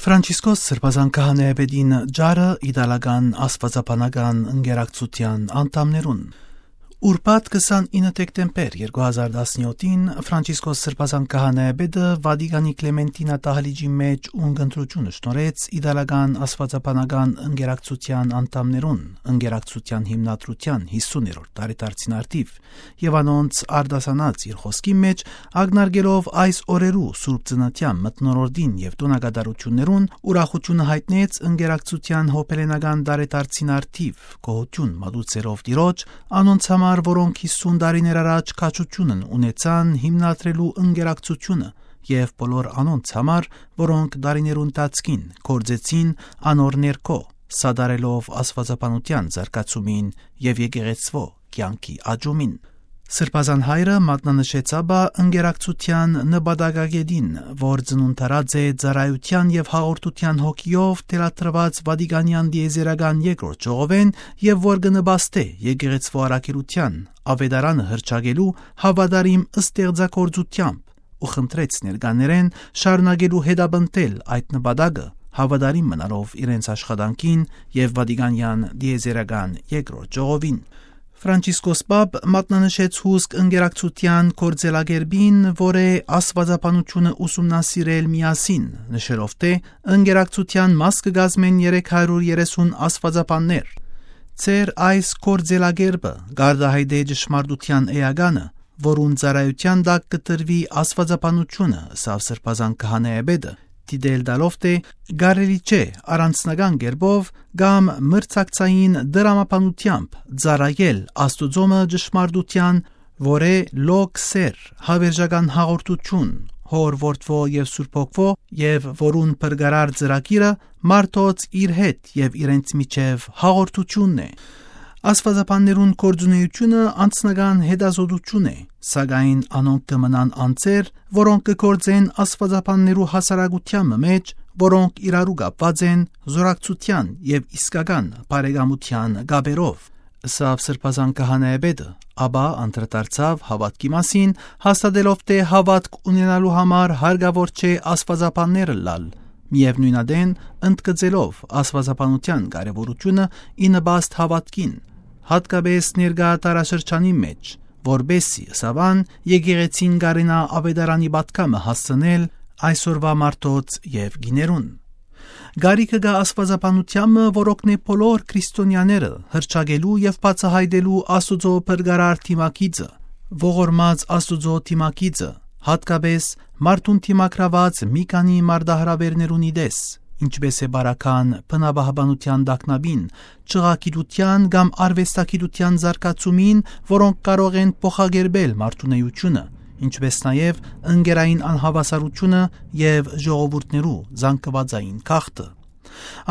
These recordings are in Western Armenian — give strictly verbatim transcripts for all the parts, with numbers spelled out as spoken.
Ֆրանցիսկոս Սրբազան Քահանայապետին ճառը իտալական աստուածաբանական ընկերակցութեան անդամներուն։ Ուրբաթ քսանինը դեկտեմբեր երկու հազար տասնյոթին Ֆրանցիսկոս Սրբազան Քահանայապետը Վատիկանի Կլեմենտինա դահլիճի մէջ ունկնդրութիւն շնորհեց իտալական աստուածաբանական ընկերակցութեան անդամներուն, ընկերակցութեան հիմնադրութեան յիսուներորդ տարեդարձին արդիւ, եւ անոնց արտասանած իր խօսքին մէջ, ակնարկելով այս օրերու Սուրբ Ծննդեան մթնոլորտին եւ տօնակատարութիւններուն, ուրախութիւնը յայտնեց ընկերակցութեան յոբելենական տարեդարձին արդիւ, գոհութիւն մատուցելով Տիրոջ, անոնց համար, որոնք յիսուն տարիներ առաջ քաջութիւնն ունեցան հիմնադրելու ընկերակցութիւնը, եւ բոլոր անոնց համար, որոնք տարիներու ընթացքին գործեցին անոր ներքո, սատարելով աստուածաբանութեան զարգացումին եւ եկեղեցւոյ կեանքի աճումին։ Սրբազան հայրը մատնանշեց ապա ընկերակցութեան նպատակագետին, որ ծնունդարած է ծառայութեան եւ հաղորդութեան հոգիով թելադրուած Վատիկանեան տիեզերական երկրորդ ժողովէն եւ որ կը նպաստէ եկեղեցւոյ առաքելութեան, աւետարանը հռչակելու հաւատարիմ ստեղծագործութեամբ, ու խնդրեց ներկաներէն շարունակելու հետապնդել այդ նպատակը, հաւատարիմ մնալով իրենց աշխատանքին եւ Վատիկանեան տիեզերական երկրորդ ժողովին։ Ֆրանցիսկոս Պապ մատնանշեց հուսկ ընկերակցութեան գործելակերպին, որ է աստուածաբանութիւնը ուսումնասիրել միասին, նշելով թէ ընկերակցութեան մաս կը կազմեն երեք հարիւր երեսուն աստուածաբաններ։ Ձեր այս գործելակերպը կարտահայտէ ճշմարտութեան էականը, որուն ծառայութեան տակ կը տրուի աստուածաբանութիւնը, ըսաւ Սրբազան Քահանայապետը, դիտել տալով թէ կարելի չէ առանձնական կերպով կամ մրցակցային դրամաբանութեամբ ծառայել Աստուծոյ ճշմարտութեան, որ է լոկ սէր, հաւերժական հաղորդութիւն, Հօր, Որդւոյ եւ Սուրբ Հոգւոյ, եւ որուն փրկարար ծրագիրը մարդոց իր հետ եւ իրենց միջեւ հաղորդութիւնն է։ Աստուածաբաններուն գործունէութիւնը անձնական հետազօտութիւն է, սակայն անոնք կը մնան անձեր, որոնք կը գործեն աստուածաբաններու հասարակութեան մը մէջ, որոնք իրարու կապուած են զօրակցութեան եւ իսկական բարեկամութեան կապերով, ըսաւ Սրբազան Քահանայապետը, ապա անդրադարձաւ հաւատքի մասին, հաստատելով թէ հաւատք ունենալու համար հարկաւոր չէ աստուածաբաններ ըլլալ, միեւնոյն ատեն ընդգծելով աստուածաբանութեան կարեւորութիւնը ի նպաստ հաւատքին, յատկապէս ներկայ դարաշրջանին մէջ, որպէս զի, ըսաւ ան, եկեղեցին կարենայ աւետարանի պատգամը հասցնել այսօրուայ մարդոց եւ կիներուն։ Կարիքը կայ աստուածաբանութեան մը, որ օգնէ բոլոր քրիստոնեաները հռչակելու եւ բացայայտելու Աստուծոյ փրկարար դիմագիծը, ողորմած Աստուծոյ դիմագիծը, յատկապէս մարդուն դիմագրաւած մի քանի մարտահրաւէրներուն ի տես, ինչպէս է պարագան բնապահպանութեան տագնապին, չղագիտութեան կամ արուեստագիտութեան զարգացումին, որոնք կարող են փոխակերպել մարդունէութիւնը, ինչպէս նաեւ ընկերային անհաւասարութիւնը եւ ժողովուրդներու զանգուածային գաղթը։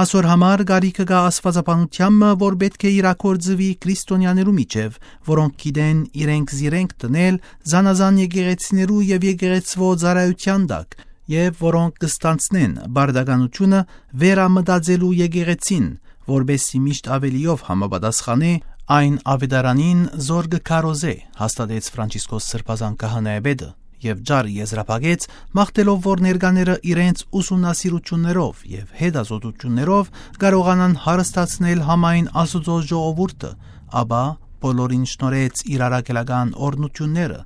Ասոր համար կարիքը կայ աստուածաբանութեան մը, որ պէտք է իրագործուի քրիստոնեաներու միջեւ, որոնք գիտեն իրենք զիրենք դնել զանազան եկեղեցիներու եւ եկեղեցւոյ ծառայութեան տակ, եւ որոնք կը ստանձնեն պարտականութիւնը վերամտածելու եկեղեցին, որպէս զի միշտ աւելիով համապատասխանէ այն աւետարանին, զոր կը քարոզէ, հաստատեց Ֆրանցիսկոս Սրբազան Քահանայապետը, եւ ճառը եզրափակեց, մաղթելով որ ներկաները իրենց ուսումնասիրութիւններով եւ հետազօտութիւններով կարողանան հարստացնել համայն Աստուծոյ ժողովուրդը, ապա բոլորին շնորհեց իր առաքելական օրհնութիւնները,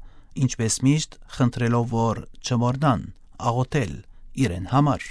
ինչպէս միշտ խնդրելով որ չմոռնան աղօթել իրեն համար։